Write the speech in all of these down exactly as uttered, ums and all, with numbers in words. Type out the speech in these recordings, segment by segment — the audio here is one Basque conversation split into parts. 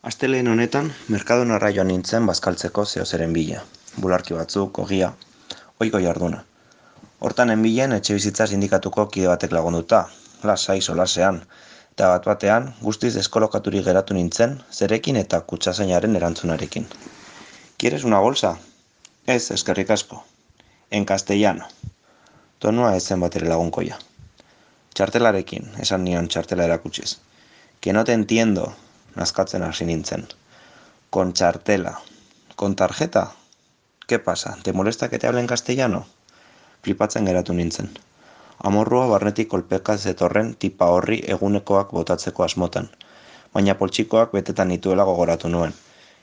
Astelehen honetan, Mercadonara joan nintzen bazkaltzeko zeozeren bila. Bularki batzuk, ogia, ohiko jarduna. Hortan enbilen etxebizitza sindikatuko kide batek lagunduta, lasai solasean, eta bat batean guztiz deskolokaturik geratu nintzen zerekin eta kutxazainaren erantzunarekin. ¿Quieres una bolsa? Ez, eskerrik asko. En castellano. Tonua ez zen batere lagunkoia. Txartelarekin, esan nion txartela erakutsiz. Que no te entiendo, nazkatzen hasi nintzen. Con txartela. Con tarjeta? ¿Qué pasa? ¿Te molesta que te hable en castellano? Flipatzen geratu nintzen. Amorrua barnetik kolpeka zetorren tipa horri egunekoak botatzeko asmotan, baina poltsikoak betetan nituela gogoratu nuen,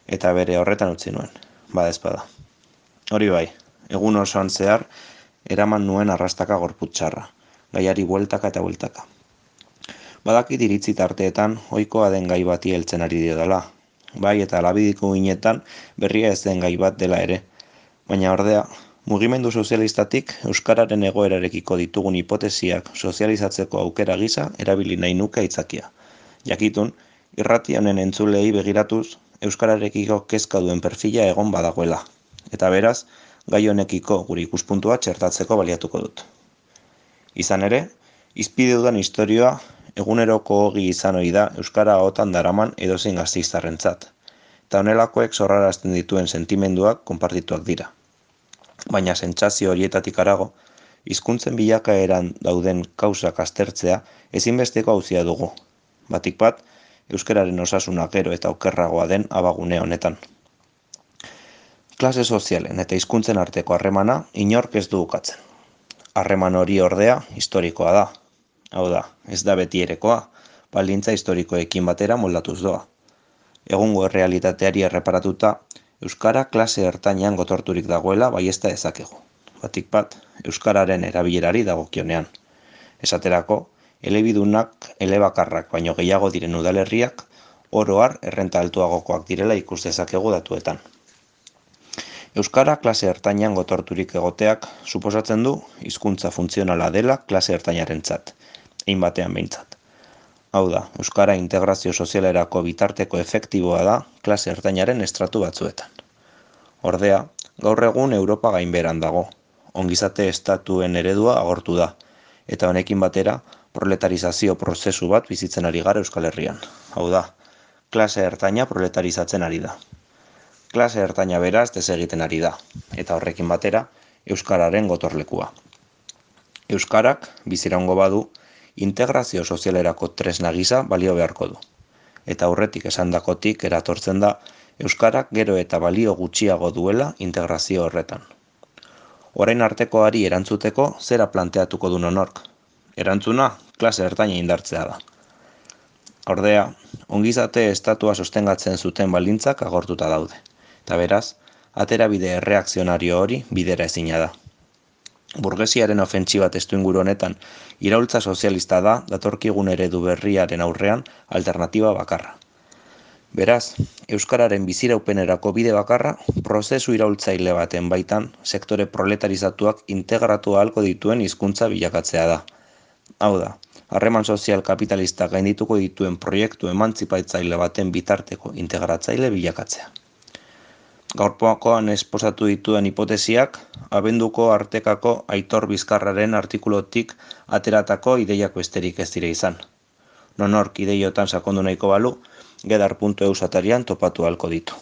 eta bere horretan utzi nuen, badezpada. Hori bai, egun osoan zehar, eraman nuen arrastaka gorputxarra, gaiari bueltaka eta bueltaka. Badakit iritzi tarteetan, ohikoa den gai bati heltzen ari diodala, bai eta labidiko ginetan berria ez den gai bat dela ere, baina ordea, mugimendu sozialistatik euskararen egoerarekiko ditugun hipotesiak sozializatzeko aukera gisa erabili nahi nuke aitzakia. Jakitun, irrati honen entzulei begiratuz, euskararekiko kezka duen perfila egon badagoela, eta beraz, gai honekiko gure ikuspuntua txertatzeko baliatuko dut. Izan ere, izpide dudan istorioa eguneroko ogi izan ohi da euskara ahotan daraman edozein gasteiztarrentzat, eta honelakoek sorrarazten dituen sentimenduak konpartituak dira. Baina sentsazio horietatik harago, hizkuntzen bilakaeran dauden kausak aztertzea ezinbesteko auzia dugu. Batik bat, euskararen osasuna gero eta okerragoa den abagune honetan. Klase sozialen eta hizkuntzen arteko harremana inork ez du ukatzen. Harreman hori ordea historikoa da. Hau da, ez da beti erekoa, baldintza historikoekin batera moldatuz doa. Egungo errealitateari erreparatuta, euskara klase ertainean gotorturik dagoela baiezta dezakegu. Batik bat, euskararen erabilerari dagokionean. Esaterako, elebidunak elebakarrak baino gehiago diren udalerriak, oro har errenta altuagokoak direla ikus dezakegu datuetan. Euskara klase ertainean gotorturik egoteak suposatzen du hizkuntza funtzionala dela klase ertainarentzat, hein batean behintzat. Hau da, euskara integrazio sozialerako bitarteko efektiboa da klase ertainaren estratu batzuetan. Ordea, gaur egun Europa gainbeheran dago, ongizate estatuen eredua agortu da, eta honekin batera proletarizazio prozesu bat bizitzen ari gara Euskal Herrian. Hau da, klase ertaina proletarizatzen ari da. Klase ertaina beraz desegiten ari da, eta horrekin batera euskararen gotorlekua. Euskarak biziraungo badu, integrazio sozialerako tresna gisa balio beharko du. Eta aurretik esandakotik eratortzen da, euskarak gero eta balio gutxiago duela integrazio horretan. Orain artekoari erantzuteko zera planteatuko du nonork. Erantzuna, klase ertaina indartzea da. Ordea, ongizate estatua sostengatzen zuten baldintzak agortuta daude. Eta beraz, aterabide erreakzionario hori bidera ezina da. Burgesiaren ofentsiba testuinguru honetan, iraultza sozialista da datorkigun eredu berriaren aurrean alternatiba bakarra. Beraz, euskararen biziraupenerako bide bakarra, prozesu iraultzaile baten baitan sektore proletarizatuak integratu ahalko dituen hizkuntza bilakatzea da. Hau da, harreman sozial kapitalista gaindituko dituen proiektu emantzipatzaile baten bitarteko integratzaile bilakatzea. Gaurpoakoan esposatu dituen hipotesiak, abenduko artekako Aitor Bizkarraren artikulotik ateratako ideiak besterik ez dira izan. Nonork ideiotan sakondu nahiko balu, gedar puntu eus atarian topatu ahalko ditu.